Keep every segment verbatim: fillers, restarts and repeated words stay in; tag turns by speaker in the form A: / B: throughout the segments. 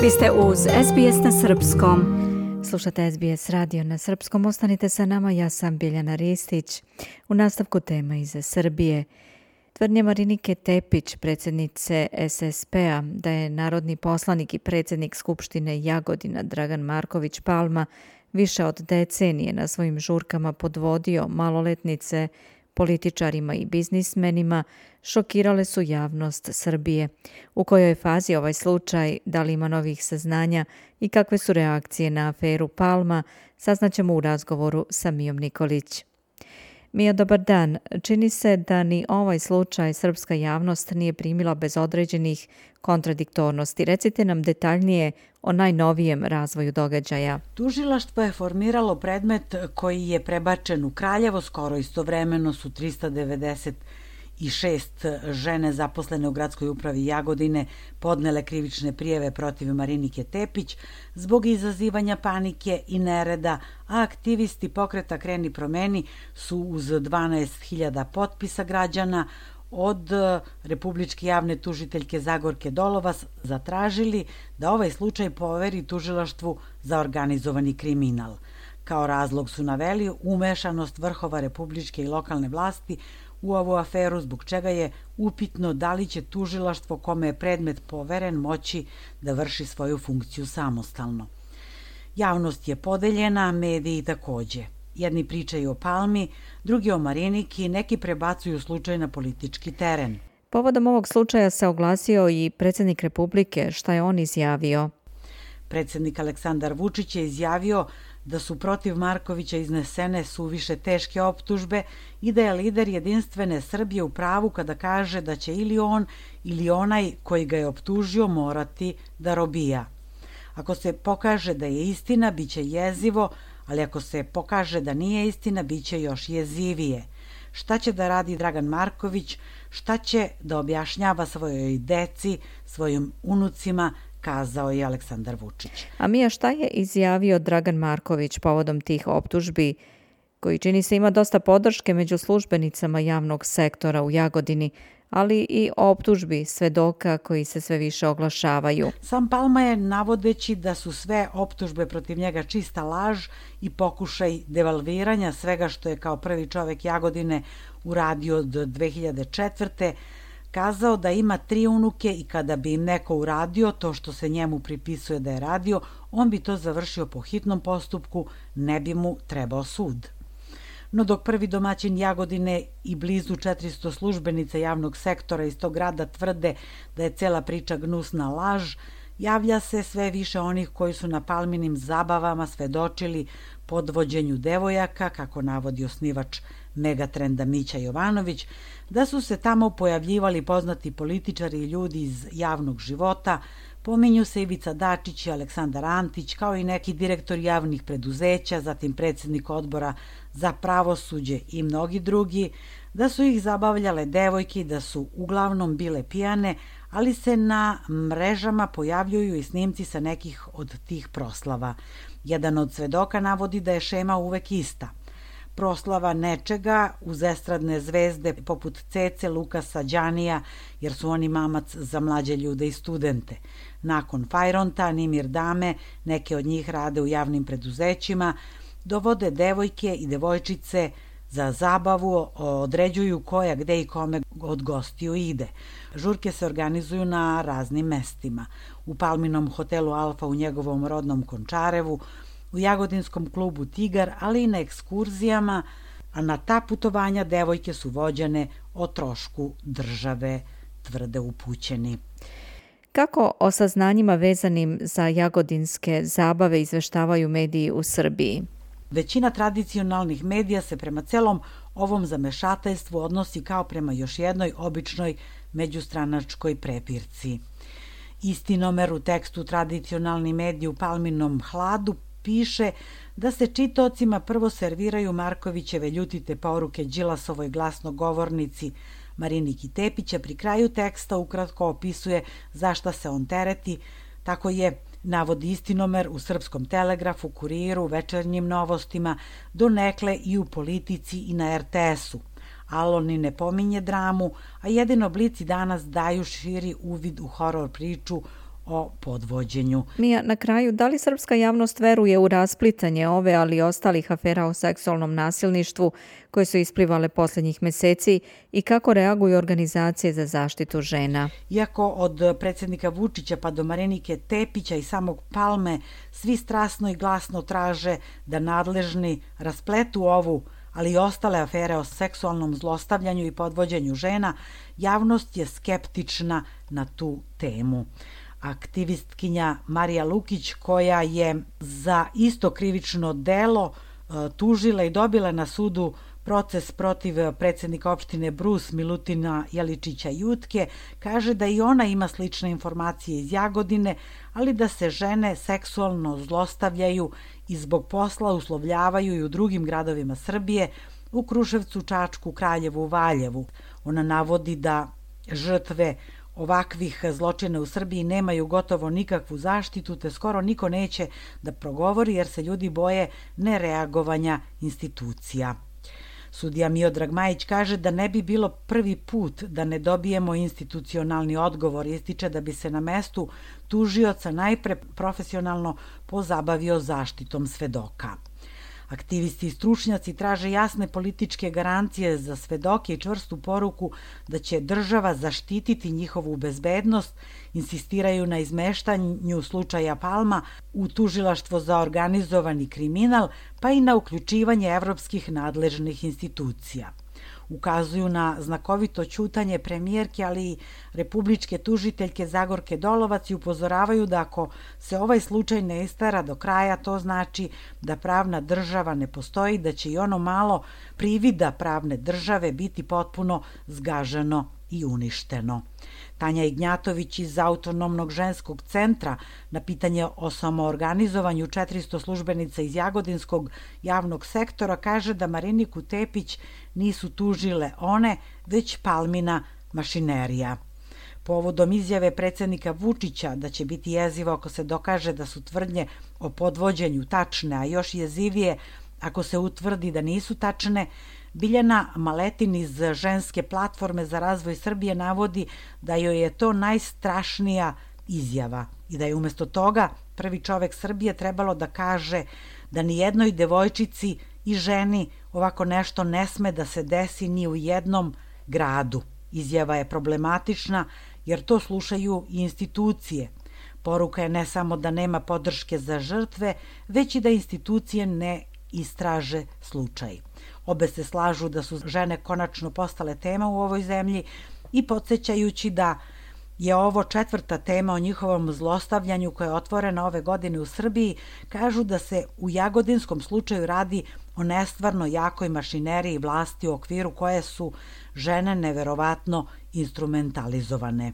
A: Vi ste uz es be es na srpskom. Slušate es be es radio na srpskom. Ostanite sa nama, ja sam Biljana Ristić. U nastavku tema iz Srbije. Tvrdnje Marinike Tepić, predsjednice es es pe-a, da je narodni poslanik i predsjednik Skupštine Jagodina Dragan Marković Palma više od decenije na svojim žurkama podvodio maloletnice političarima i biznismenima, šokirale su javnost Srbije. U kojoj je fazi ovaj slučaj, da li ima novih saznanja i kakve su reakcije na aferu Palma, saznaćemo u razgovoru sa Mijom Nikolić. Mija, dobar dan. Čini se da ni ovaj slučaj srpska javnost nije primila bez određenih kontradiktornosti. Recite nam detaljnije o najnovijem razvoju događaja.
B: Tužilaštvo je formiralo predmet koji je prebačen u Kraljevo. Skoro istovremeno su trista devedeset šest žene zaposlene u gradskoj upravi Jagodine podnele krivične prijave protiv Marinike Tepić zbog izazivanja panike i nereda, a aktivisti pokreta Kreni promeni su uz dvanaest hiljada potpisa građana od republičke javne tužiteljke Zagorke Dolovac zatražili da ovaj slučaj poveri tužilaštvu za organizovani kriminal. Kao razlog su naveli umešanost vrhova republičke i lokalne vlasti u ovu aferu, zbog čega je upitno da li će tužilaštvo kome je predmet poveren moći da vrši svoju funkciju samostalno. Javnost je podeljena, mediji takođe. Jedni pričaju o Palmi, drugi o Mariniki, neki prebacuju slučaj na politički teren.
A: Povodom ovog slučaja se oglasio i predsjednik Republike. Šta je on izjavio?
B: Predsjednik Aleksandar Vučić je izjavio da su protiv Markovića iznesene suviše teške optužbe i da je lider Jedinstvene Srbije u pravu kada kaže da će ili on ili onaj koji ga je optužio morati da robija. Ako se pokaže da je istina, bit će jezivo, ali ako se pokaže da nije istina, bit će još jezivije. Šta će da radi Dragan Marković, šta će da objašnjava svojoj deci, svojim unucima, kazao je Aleksandar Vučić.
A: A Mija, šta je izjavio Dragan Marković povodom tih optužbi, koji čini se ima dosta podrške među službenicama javnog sektora u Jagodini, ali i optužbi svedoka koji se sve više oglašavaju?
B: Sam Palma je, navodeći da su sve optužbe protiv njega čista laž i pokušaj devalviranja svega što je kao prvi čovek Jagodine uradio od dve hiljade četvrte. kazao da ima tri unuke i kada bi im neko uradio to što se njemu pripisuje da je radio, on bi to završio po hitnom postupku, ne bi mu trebao sud. No dok prvi domaćin Jagodine i blizu četiristo službenica javnog sektora iz tog grada tvrde da je cela priča gnusna laž, javlja se sve više onih koji su na Palminim zabavama svedočili podvođenju devojaka, kako navodi osnivač Megatrenda Mića Jovanović, da su se tamo pojavljivali poznati političari i ljudi iz javnog života, pominju se Ivica Dačić i Aleksandar Antić, kao i neki direktori javnih preduzeća, zatim predsjednik odbora za pravosuđe i mnogi drugi, da su ih zabavljale devojke i da su uglavnom bile pijane, ali se na mrežama pojavljuju i snimci sa nekih od tih proslava. Jedan od svedoka navodi da je šema uvek ista. Proslava nečega uz estradne zvezde poput Cece, Lukasa, Đanija, jer su oni mamac za mlađe ljude i studente. Nakon Fajronta, Nimir Dame, neke od njih rade u javnim preduzećima, dovode devojke i devojčice za zabavu, određuju koja, gde i kome od gostiju ide. Žurke se organizuju na raznim mestima. U Palminom hotelu Alfa u njegovom rodnom Končarevu, u Jagodinskom klubu Tigar, ali i na ekskurzijama, a na ta putovanja devojke su vođene o trošku države, tvrde upućeni.
A: Kako o saznanjima vezanim za jagodinske zabave izveštavaju mediji u Srbiji?
B: Većina tradicionalnih medija se prema celom ovom zamešateljstvu odnosi kao prema još jednoj običnoj međustranačkoj prepirci. Istinomer u tekstu tradicionalni mediji u Palminom hladu piše da se čitaocima prvo serviraju Markovićeve ljutite poruke Đilasovoj glasnogovornici Mariniki Tepić, a pri kraju teksta ukratko opisuje za šta se on tereti. Tako je, navodi Istinomer, u Srpskom telegrafu, Kuriru, Večernjim novostima, donekle i u Politici i na er te esu. Alon ni ne pominje dramu, a jedino Blic i Danas daju širi uvid u horor priču o podvođenju.
A: Mija, na kraju, da li srpska javnost veruje u rasplitanje ove, ali i ostalih afera o seksualnom nasilništvu koje su isplivale posljednjih meseci i kako reaguju organizacije za zaštitu žena?
B: Iako od predsjednika Vučića pa do Marinike Tepića i samog Palme svi strasno i glasno traže da nadležni raspletu ovu, ali i ostale afere o seksualnom zlostavljanju i podvođenju žena, javnost je skeptična na tu temu. Aktivistkinja Marija Lukić, koja je za isto krivično delo tužila i dobila na sudu proces protiv predsjednika opštine Brus Milutina Jeličića Jutke, kaže da i ona ima slične informacije iz Jagodine, ali da se žene seksualno zlostavljaju i zbog posla uslovljavaju i u drugim gradovima Srbije, u Kruševcu, Čačku, Kraljevu, Valjevu. Ona navodi da žrtve ovakvih zločina u Srbiji nemaju gotovo nikakvu zaštitu, te skoro niko neće da progovori jer se ljudi boje nereagovanja institucija. Sudija Miodrag Majić kaže da ne bi bilo prvi put da ne dobijemo institucionalni odgovor. Ističe da bi se na mestu tužioca najpre profesionalno pozabavio zaštitom svedoka. Aktivisti i stručnjaci traže jasne političke garancije za svedoke i čvrstu poruku da će država zaštititi njihovu bezbednost, insistiraju na izmeštanju slučaja Palma u tužilaštvo za organizovani kriminal, pa i na uključivanje evropskih nadležnih institucija. Ukazuju na znakovito ćutanje premijerke, ali i republičke tužiteljke Zagorke Dolovac i upozoravaju da ako se ovaj slučaj ne istara do kraja, to znači da pravna država ne postoji, da će i ono malo privida pravne države biti potpuno zgaženo i uništeno. Tanja Ignjatović iz Autonomnog ženskog centra na pitanje o samoorganizovanju četiristo službenica iz Jagodinskog javnog sektora kaže da Mariniku Tepić nisu tužile one, već Palmina mašinerija. Povodom izjave predsjednika Vučića da će biti jezivo ako se dokaže da su tvrdnje o podvođenju tačne, a još jezivije ako se utvrdi da nisu tačne, Biljana Maletin iz Ženske platforme za razvoj Srbije navodi da joj je to najstrašnija izjava i da je umjesto toga prvi čovek Srbije trebalo da kaže da ni jednoj devojčici i ženi ovako nešto ne sme da se desi ni u jednom gradu. Izjava je problematična jer to slušaju i institucije. Poruka je ne samo da nema podrške za žrtve, već i da institucije ne istraže slučaj. Obe se slažu da su žene konačno postale tema u ovoj zemlji i podsjećajući da je ovo četvrta tema o njihovom zlostavljanju koja je otvorena ove godine u Srbiji, kažu da se u jagodinskom slučaju radi o nestvarno jakoj mašineriji vlasti u okviru koje su žene neverovatno instrumentalizovane.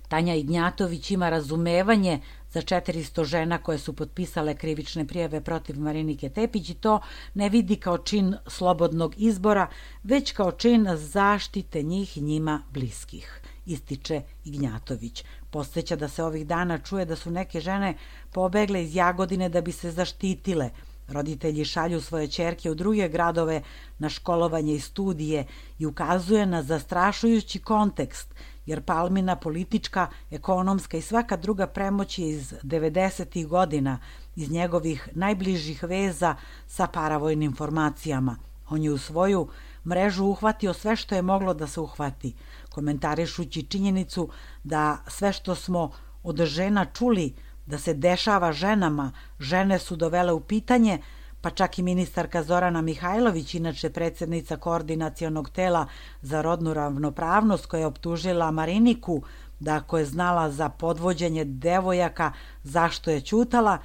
B: Tanja Ignjatović ima razumevanje za četiristo žena koje su potpisale krivične prijave protiv Marinike Tepić i to ne vidi kao čin slobodnog izbora, već kao čin zaštite njih i njima bliskih, ističe Ignjatović. Podsjeća da se ovih dana čuje da su neke žene pobegle iz Jagodine da bi se zaštitile. Roditelji šalju svoje ćerke u druge gradove na školovanje i studije i ukazuje na zastrašujući kontekst, jer Palmina politička, ekonomska i svaka druga premoć je iz devedesetih godina, iz njegovih najbližih veza sa paravojnim formacijama. On je u svoju mrežu uhvatio sve što je moglo da se uhvati, komentarišući činjenicu da sve što smo od žena čuli da se dešava ženama, žene su dovele u pitanje, pa čak i ministarka Zorana Mihajlović, inače predsjednica koordinacionog tela za rodnu ravnopravnost, koja je optužila Mariniku da ako je znala za podvođenje devojaka, zašto je ćutala,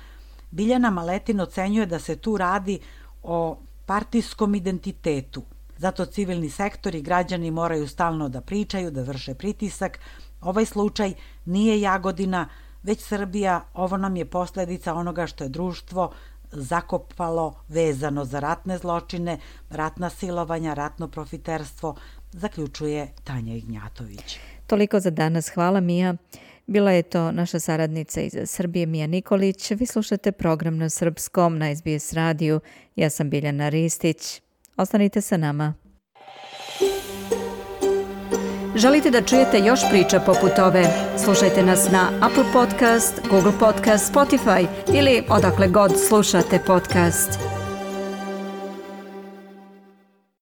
B: Biljana Maletin ocenjuje da se tu radi o partijskom identitetu. Zato civilni sektor i građani moraju stalno da pričaju, da vrše pritisak. Ovaj slučaj nije Jagodina, već Srbija. Ovo nam je posljedica onoga što je društvo zakopalo vezano za ratne zločine, ratna silovanja, ratno profiterstvo, zaključuje Tanja Ignjatović.
A: Toliko za danas. Hvala, Mija. Bila je to naša saradnica iz Srbije, Mija Nikolić. Vi slušate program na srpskom na S B S radiju. Ja sam Biljana Ristić. Ostanite sa nama. Želite da čujete još priča poput ove? Slušajte nas na Apple Podcast, Google Podcast, Spotify ili odakle god slušate podcast.